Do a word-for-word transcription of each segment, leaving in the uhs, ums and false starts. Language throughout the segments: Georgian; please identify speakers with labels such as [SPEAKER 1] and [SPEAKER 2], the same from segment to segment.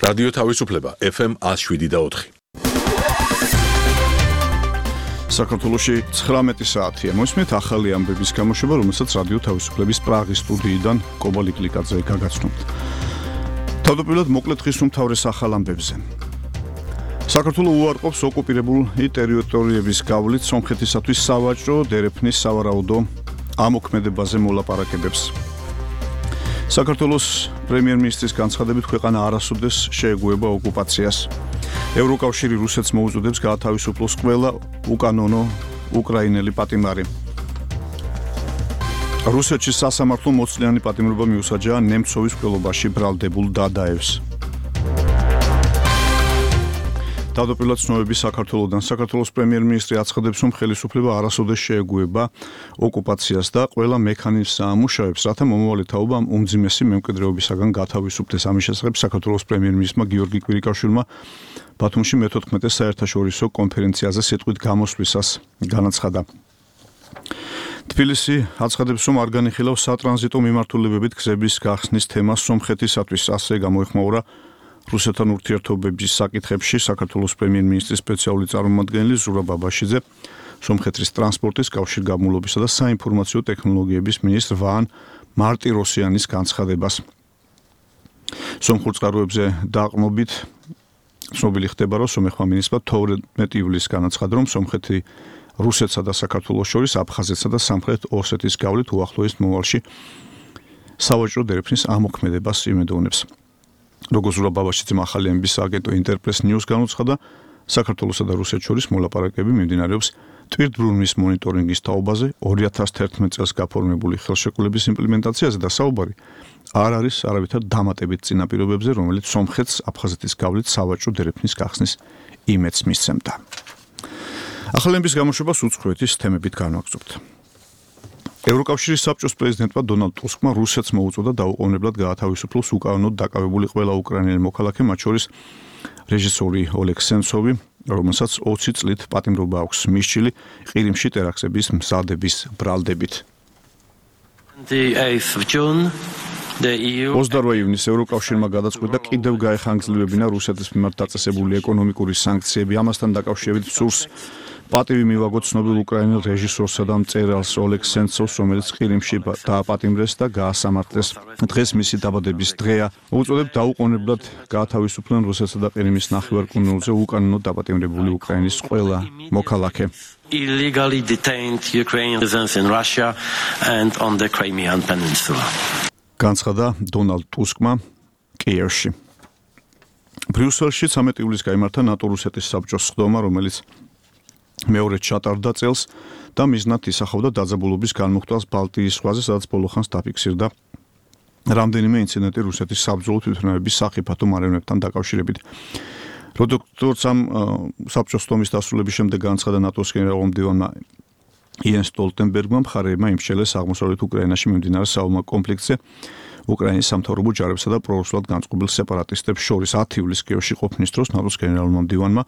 [SPEAKER 1] რადიო თავისუფლება ეფ ემ one oh seven და four.
[SPEAKER 2] საქართველოში ცხრამეტი საათია. მოსმით ახალი ამბების გამოშვება, რომელსაც რადიო თავისუფლების პრაღის სტუდიიდან კობა ლიკლიკაძე გაგაცნობთ. თავდაპირველად მოკლედ ხის უმთავრეს ახალ ამბებზე. საქართველო უარყოფს ოკუპირებული ტერიტორიების გავლით სომხეთისათვის სავაჭრო დერეფნის სავარაუდო ამოქმედებაზე მოლაპარაკებებს. საქართველოს პრემიერ-მინისტრის განცხადებით ქვეყანა არასოდეს შეეგუება ოკუპაციას. ევროკავშირი რუსეთს მოუწოდებს გაათავისუფლოს ყველა უკანონო უკრაინელი პატიმარი. რუსეთში სასამართლო მოცლიანი პატიმრობა მიუსაჯა ნემცოვის მკვლელობაში ბრალდებულ დადაევს. თავდაპირველად ცნობები საქართველოდან საქართველოს პრემიერ-მინისტრი აცხადებს, რომ ხელისუფლება არასოდეს შეეგუება ოკუპაციას და ყველა მექანიზმს ამუშავებს, რათა მომავალი თაობა უმძიმესი მემკვიდრეობისაგან გათავისუფლდეს. ამის შესახებ საქართველოს პრემიერ-მინისტრმა გიორგი კვირიკაშვილმა ბათუმში მეთოთხმეტე საერთაშორისო კონფერენციაზე სიტყვით გამოსვლისას განაცხადა. თბილისი აცხადებს, რომ არ განიხილავს სატრანზიტო მიმართულებებით გზების გახსნის თემას სომხეთისათვის. ასე გამოეხმაურა რუსეთთან ურთიერთობების საკითხებში საქართველოს პრემიერ-მინისტრის სპეციალური წარმომადგენელი ზურაბ ბაბაშიძე, სომხეთის ტრანსპორტის, კავშირგაბმულობისა და საინფორმაციო ტექნოლოგიების მინისტრ ვან მარტიროსიანის განცხადებას. სომხურ წყაროებზე დაყრდნობით ცნობილი ხდება, რომ სომეხმა მინისტრმა თორმეტი ივლისს განაცხადა, რომ სომხეთი რუსეთსა და საქართველოს შორის აფხაზეთსა და სამხრეთ ოსეთის გავლით უახლოეს მომავალში სავაჭრო დერეფნის ამოქმედებას იმედოვნებს. როგორც ზურაბ ბაბაშიძემ ახალი ამბის აგენტო ინტერპრეს ნიუს განუცხადა, საქართველოსა და რუსეთს შორის მოლაპარაკებები მიმდინარეობს ტვირთბრუნვის მონიტორინგის თაობაზე, ორი ათას თერთმეტ წელს გაფორმებული ხელშეკრულების იმპლემენტაციაზე და საუბარი არ არის არავითარ დამატებით წინაპირობებზე, რომელიც სომხეთს აფხაზეთის გავლით სავაჭრო დერეფნის გახსნის იმედს მისცემდა. ახალი ამბის გამოშვებას უცხოეთის თემებით განვაგრძობთ. ევროკავშირის საბჭოს პრეზიდენტმა დონალდ ტუსკმა რუსეთს მოუწოდა დაუყოვნებლად გაათავისუფლოს უკანონოდ დაკავებული ყველა უკრაინელი მოქალაქე, მათ შორის რეჟისორი ოლეგ სენცოვი, რომელსაც ოცი წლით პატიმრობა აქვს მისჭილი ყირიმში ტერაქტების მზადების ბრალდებით. ოცდაოთხ ივნისს ევროკავშირმა გადაწყვიტა კიდევ გაეხანგრძლივებინა რუსეთის მიმართ დაწესებული ეკონომიკური სანქციები. ამასთან დაკავშირებით სურს პატივი მივაგოთ ცნობილ უკრაინელ რეჟისორსა და მწერალს ოლეგ სენცოვს, რომელიც ყირიმში დააპატიმრეს და გაასამართლეს. დღეს მისი დაბადების დღეა. უწოდებ დაუყოვნებლად გაათავისუფლონ რუსეთსა და ყირიმის ნახევარკუნძულზე უკანონოდ დაპატიმრებული უკრაინის ყველა მოქალაქე.
[SPEAKER 3] Illegally detained Ukrainian citizens in Russia and on the Crimean Peninsula.
[SPEAKER 2] განცხადა დონალდ ტუსკმა კიევში. ბრიუსელში ცამეტი ივლისს გაიმართა ნატო-რუსეთის საბჭოს სხდომა, რომელიც მეორედ ჩატარდა წელს და მიზნად ისახავდა დაძაბულობის განმუხტვას ბალტიის ზღვაზე, სადაც ბოლოხანს დაფიქსირდა რამდენიმე ინციდენტი რუსეთის საბრძოლო თვითმფრინავების სახიფათო მარიონეტთან დაკავშირებით. როდესაც ამ საბჭოს სხდომის დასრულების შემდეგ განცხადა ნატოს გენერალ-მდივანმა იენს სტოლტენბერგმა, მხარეებმა იმშელეს აღმოსავლეთ უკრაინაში მიმდინარე საომარ კონფლიქტზე უკრაინის სამთავრობო ჯარებსა და პრორუსულად განწყობილ სეპარატისტებს შორის. ათი ივლისს კიევში ყოფნის დროს ნატოს გენერალურმა მდივანმა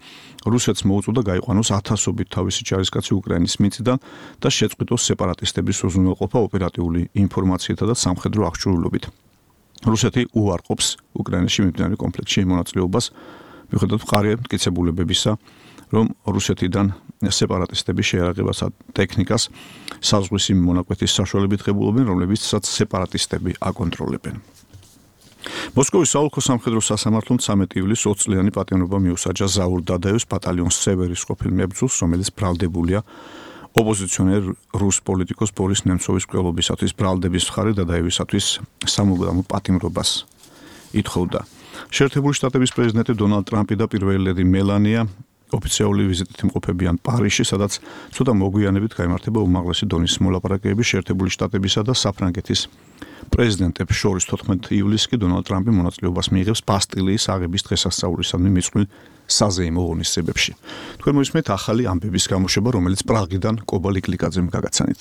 [SPEAKER 2] რუსეთს მოუწოდა გაიყვანოს ათასობით თავისი ჯარისკაცი უკრაინის მიწიდან და შეწყვიტოს სეპარატისტების უზრუნველყოფა ოპერატიული ინფორმაციითა და სამხედრო აღჭურვილობით. რუსეთი უარყოფს უკრაინაში მიმდინარე კონფლიქტში მონაწილეობას, მიუხედავად მყარი მტკიცებულებებისა, რომ რუსეთიდან სეპარატისტები შეერაღებასა ტექნიკას საზღვისი მონაკვეთის საშუალებით ღებულობენ, რომლებიცაც სეპარატისტები აკონტროლებენ. მოსკოვის საოლქო სამხედრო სასამართლომ ცამეტი ივლისს ოც წლიანი პატიმრობა მიუსაჯა ზაურ დადაევს ბატალიონს სევერის ყოფილ მებრძოლს, რომელიც ბრალდებულია ოპოზიციონერ რუს პოლიტიკოს ბორის ნემცოვის მკვლელობისათვის. ბრალდების მხარე დადაევისათვის სამუდამო პატიმრობას ითხოვდა. შეერთებული შტატების პრეზიდენტი დონალდ ტრამპი და პირველი ლედი მელანია ოფიციალური ვიზიტით იმყოფებიან პარიზში, სადაც ცოტა მოგვიანებით გაიმართება უმაღლესი დონის მოლაპარაკებები შეერთებული შტატებისა და საფრანგეთის პრეზიდენტებს შორის. თოთხმეტი ივლისს კი დონალდ ტრამპი მონაწილეობას მიიღებს ბასტილიის აღების დღესასწაულისადმი მიწყვილ საზეიმო ღონისძიებებში. თქვენ მოისმენთ ახალი ამბების გამოშვება, რომელიც პრაღიდან კობა ლიკლიკაძემ გაგაცანით.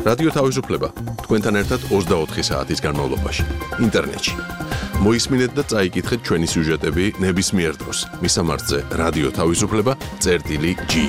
[SPEAKER 1] რადიო თავისუფლება თქვენთან ერთად ოცდაოთხი საათის განმავლობაში ინტერნეტში. მოისმინეთ და წაიკითხეთ ჩვენი სიუჟეტები ნებისმიერ დროს. მისამართზე რადიო თავისუფლება წერტილი ჯი.